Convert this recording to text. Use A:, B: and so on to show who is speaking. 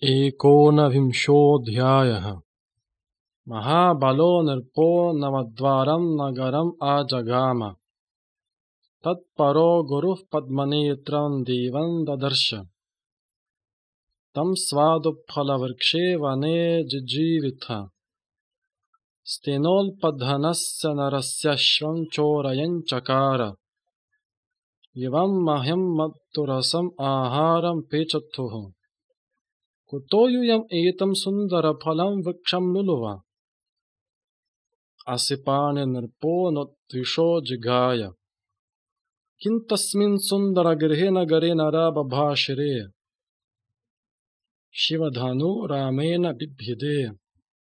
A: एकोनविंशोऽध्यायः। महाबलो नृपो नवद्वारं नगरम् आजगाम। तत्परो गुरुः पद्मनेत्रं देवं ददर्श। तं स्वादुफलवृक्षे वने जिजीविथ। स्तेनोल्पधनस्य नरस्यश्वं चोरयन् चकार। इवं मह्यं मत्तुरसम् आहारं पेचथुः। कुतो यूयम् एतं सुन्दरफलं वृक्षं लुलुव। असिपानि नृपो नोत्विषो जिघाय। किं तस्मिन् सुन्दरगृहे नगरे नरा बभाषिरे। शिवधनु रामेण बिभ्यदे।